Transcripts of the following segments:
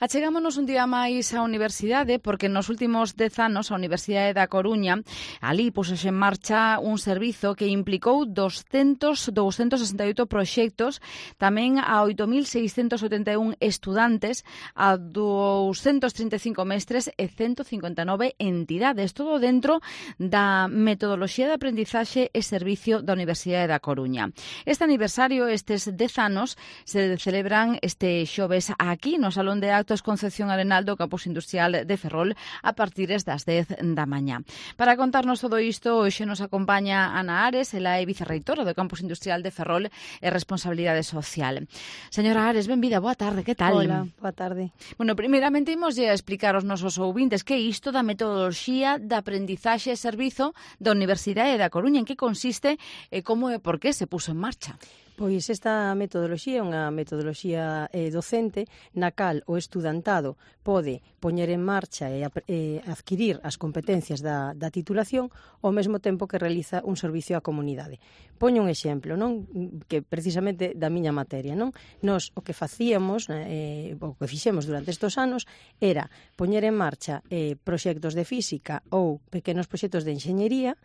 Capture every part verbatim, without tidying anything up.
Achegámonos un día máis á universidade porque nos últimos dez anos a Universidade da Coruña ali puxose en marcha un servizo que implicou doscientos sesenta e oito proxectos, tamén a oito mil seiscentos oitenta e un estudantes, a doscientos trinta e cinco mestres e ciento cincuenta e nove entidades, todo dentro da metodoloxía de aprendizaxe e servicio da Universidade da Coruña. Este aniversario, estes dez anos, se celebran este xoves aquí no Salón de Actos Concepción Arenal do Campus Industrial de Ferrol a partir das dez da mañá. Para contarnos todo isto, hoxe nos acompaña Ana Ares, ela é vicerreitora do Campus Industrial de Ferrol e Responsabilidade Social. Señora Ares, benvida, boa tarde, que tal? Hola, boa tarde. Bueno, primeiramente imos a explicar aos nosos ouvintes que é isto da metodoloxía de aprendizaxe e servizo da Universidade da Coruña, en que consiste e como e por que se puso en marcha. Pois esta metodoloxía é unha metodoloxía eh, docente na cal o estudantado pode poñer en marcha e eh, adquirir as competencias da, da titulación ao mesmo tempo que realiza un servicio á comunidade. Poño un exemplo, non? Que precisamente da miña materia, non? Nos o que facíamos, eh, o que fixemos durante estes anos era poñer en marcha eh, proxectos de física ou pequenos proxectos de enxeñería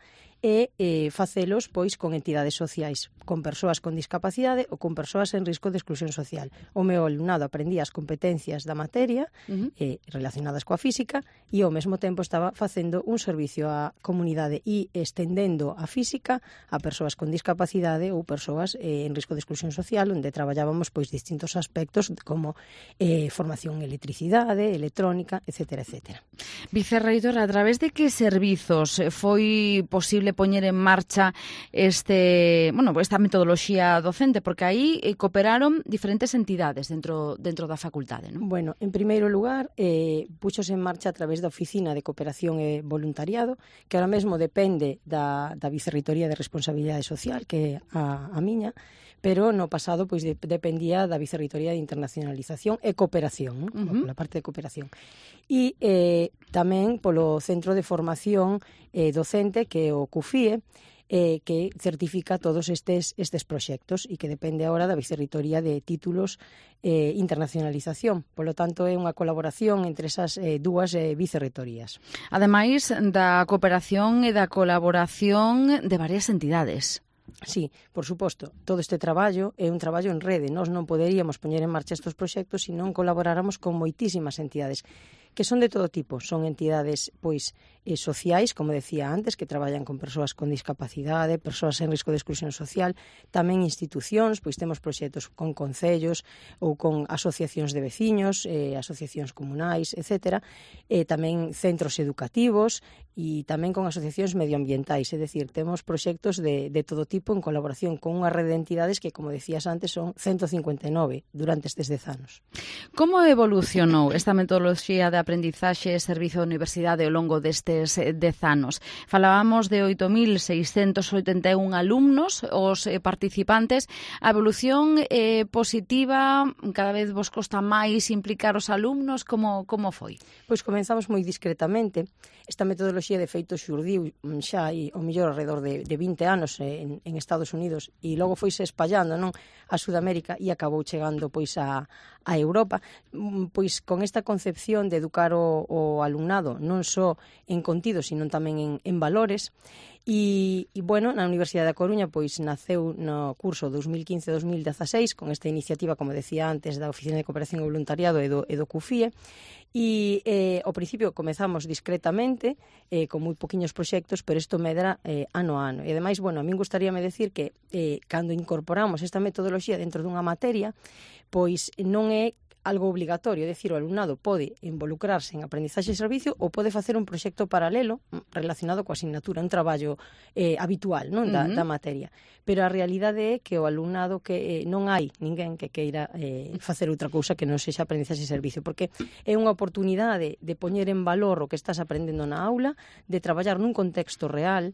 e eh, facelos pois con entidades sociais, con persoas con discapacidade ou con persoas en risco de exclusión social. O meu alumnado aprendía as competencias da materia uh-huh. eh, relacionadas coa física e ao mesmo tempo estaba facendo un servicio á comunidade e estendendo a física a persoas con discapacidade ou persoas eh, en risco de exclusión social, onde traballábamos pois distintos aspectos como eh, formación en electricidade, electrónica, etcétera, etcétera. Vicerreitora, a través de que servizos foi posible poñer en marcha este, bueno, esta metodoloxía docente, porque aí eh, cooperaron diferentes entidades dentro dentro da facultade, non? Bueno, en primeiro lugar, eh, puxose en marcha a través da Oficina de Cooperación e Voluntariado, que ahora mesmo depende da, da Vicerreitoría de Responsabilidade Social, que é a, a miña, pero no pasado pois de, dependía da Vicerreitoría de Internacionalización e Cooperación, non? Uh-huh. Pola parte de cooperación. E eh, tamén polo Centro de Formación eh, Docente, que é o CUFIE, eh, que certifica todos estes, estes proxectos e que depende agora da Vicerreitoría de Títulos e eh, Internacionalización. Polo tanto, é unha colaboración entre esas eh, dúas eh, vicerreitorías. Ademais da cooperación e da colaboración de varias entidades. Sí, por suposto, todo este traballo é un traballo en rede. Nós non poderíamos poñer en marcha estes proxectos se non colaboráramos con moitísimas entidades que son de todo tipo. Son entidades pois eh, sociais, como decía antes, que traballan con persoas con discapacidade, persoas en risco de exclusión social, tamén institucións, pois temos proxectos con concellos ou con asociacións de veciños, eh, asociacións comunais, etcétera, eh, tamén centros educativos e tamén con asociacións medioambientais, é dicir, temos proxectos de, de todo tipo en colaboración con unha rede de entidades que, como decías antes, son ciento cincuenta e nove durante estes dez anos. Como evolucionou esta metodoloxía de aprendizaxe e servizo da universidade ao longo destes dez anos? Falábamos de oito mil seiscentos oitenta e un alumnos, os participantes. A evolución eh, positiva, cada vez vos costa máis implicar os alumnos, como, como foi? Pois comenzamos moi discretamente. Esta metodoloxía de feito xurdiu xa e o mellor alrededor de, de vinte anos en, en Estados Unidos e logo foise espallando, non, a Sudamérica e acabou chegando pois a, a Europa, pois con esta concepción de educar o, o alumnado non só en contido, sino tamén en, en valores. E, e, bueno, na Universidade da Coruña pois naceu no curso dos mil quince dos mil dezaseis con esta iniciativa, como decía antes, da Oficina de Cooperación e Voluntariado e do, e do CUFIE. E eh, ao principio comezamos discretamente, eh, con moi poquinhos proxectos, pero isto medra eh, ano a ano. E ademais, bueno, a min gustaríame decir que eh, cando incorporamos esta metodoloxía dentro dunha materia, pois non é algo obligatorio, é dicir, o alumnado pode involucrarse en aprendizaxe e servicio ou pode facer un proxecto paralelo relacionado coa asignatura, un traballo eh, habitual, non, da, uh-huh. da materia. Pero a realidade é que o alumnado que eh, non hai ninguén que queira eh, facer outra cousa que non sexa aprendizaxe e servicio, porque é unha oportunidade de poñer en valor o que estás aprendendo na aula, de traballar nun contexto real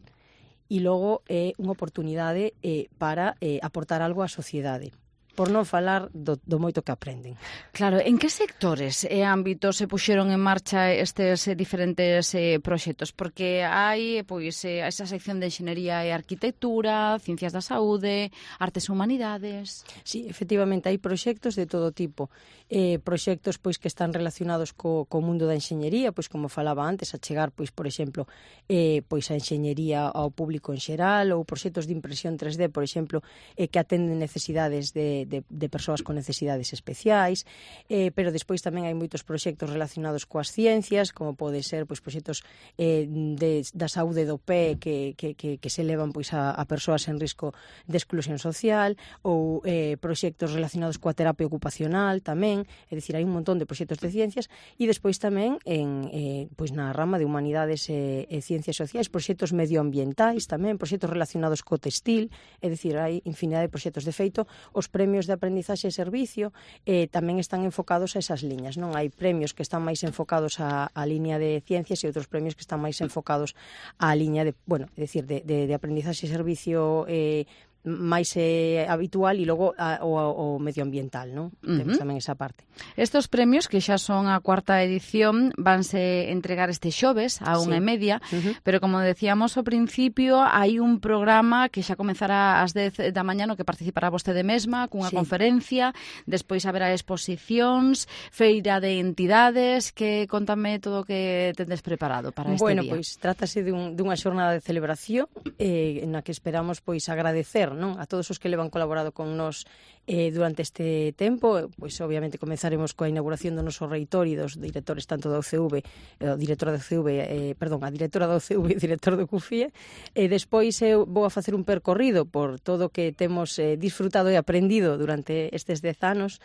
e logo é unha oportunidade eh, para eh, aportar algo á sociedade. por non falar do, do moito que aprenden. Claro, en que sectores e ámbitos se puxeron en marcha estes eh, diferentes eh, proxectos? Porque hai pois eh, esa sección de Enxeñería e Arquitectura, Ciencias da Saúde, Artes e Humanidades... Sí, efectivamente, hai proxectos de todo tipo. Eh, proxectos pois que están relacionados co, co mundo da enxeñería, pois como falaba antes, a chegar, pois por exemplo, eh, pois a enxeñería ao público en xeral, ou proxectos de impresión tres D, por exemplo, eh, que atenden necesidades de, de, de persoas con necesidades especiais, eh, pero despois tamén hai moitos proxectos relacionados coas ciencias, como pode ser pois proxectos eh, de, da saúde do pé que, que, que, que se levan pois a, a persoas en risco de exclusión social, ou eh, proxectos relacionados coa terapia ocupacional tamén, é dicir, hai un montón de proxectos de ciencias, e despois tamén en, eh, pois na rama de humanidades e, e ciencias sociais, proxectos medioambientais tamén, proxectos relacionados co textil, é dicir, hai infinidade de proxectos. De feito, os premios de aprendizaxe e servicio eh, tamén están enfocados a esas liñas, non? Hai premios que están máis enfocados á, á liña de ciencias e outros premios que están máis enfocados á liña de, bueno, é dicir, de, de, de aprendizaxe e servicio eh, máis eh, habitual, e logo a, o, o medioambiental, non? Uh-huh. Temos tamén esa parte. Estos premios, que xa son a cuarta edición, vanse entregar este xoves a unha sí. e media, uh-huh. pero como decíamos ao principio, hai un programa que xa comezará ás dez da mañá no que participará vostede mesma, cunha sí. conferencia, despois haberá exposicións, feira de entidades, que contame todo o que tendes preparado para este bueno, día. Bueno, pois trátase dun, dunha xornada de celebración eh, na que esperamos pois agradecer, non, a todos os que levan colaborado con nós eh, durante este tempo. Pois obviamente comezaremos coa inauguración do noso reitor e dos directores tanto da U C V, eh, directora da U C V, eh, perdón, a directora da U C V e director do C U F I E, e despois eu vou a facer un percorrido por todo o que temos eh, disfrutado e aprendido durante estes dez anos.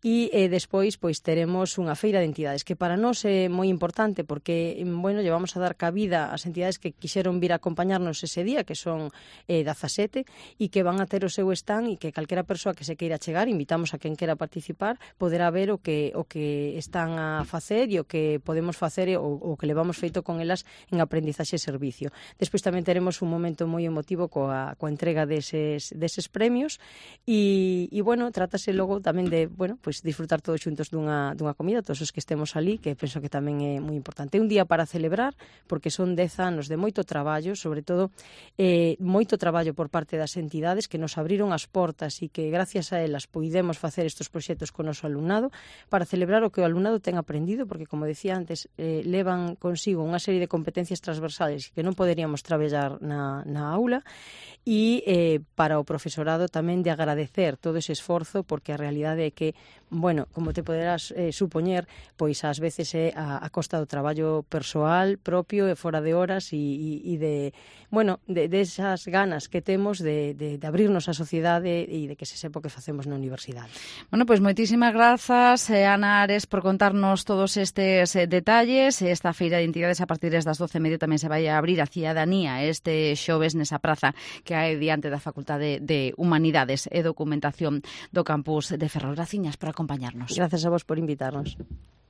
E eh, despois pois teremos unha feira de entidades que para nós é moi importante porque, bueno, llevamos a dar cabida ás entidades que quixeron vir a acompañarnos ese día, que son eh, dezasete, e que van a ter o seu stand, e que calquera persoa que se queira chegar, invitamos a quen quera participar, poderá ver o que o que están a facer e o que podemos facer o, o que levamos feito con elas en aprendizaxe e servicio. Despois tamén teremos un momento moi emotivo coa, coa entrega deses, deses premios e, e bueno, trátase logo tamén de, bueno, pois disfrutar todos xuntos dunha, dunha comida, todos os que estemos ali, que penso que tamén é moi importante. É un día para celebrar, porque son dez anos de moito traballo, sobre todo eh, moito traballo por parte das entidades que nos abriron as portas e que gracias a elas poidemos facer estes proxectos con o noso alumnado, para celebrar o que o alumnado ten aprendido, porque, como decía antes, eh, levan consigo unha serie de competencias transversales que non poderíamos traballar na, na aula, e eh, para o profesorado tamén de agradecer todo ese esforzo, porque a realidade é que, bueno, como te poderás eh, supoñer, pois ás veces é a, a costa do traballo persoal propio e fora de horas e, e, e de, bueno, de, de esas ganas que temos de, de, de abrirnos á sociedade e de que se sepa o que facemos na universidade. Bueno, pois moitísimas grazas, eh, Ana Ares, por contarnos todos estes eh, detalles. Esta feira de entidades a partir das doce e media tamén se vai a abrir a cidadanía este xoves nesa praza que hai diante da Facultade de Humanidades e Documentación do campus de Ferrol. Graciñas por acompañarnos. Gracias a vos por invitarnos.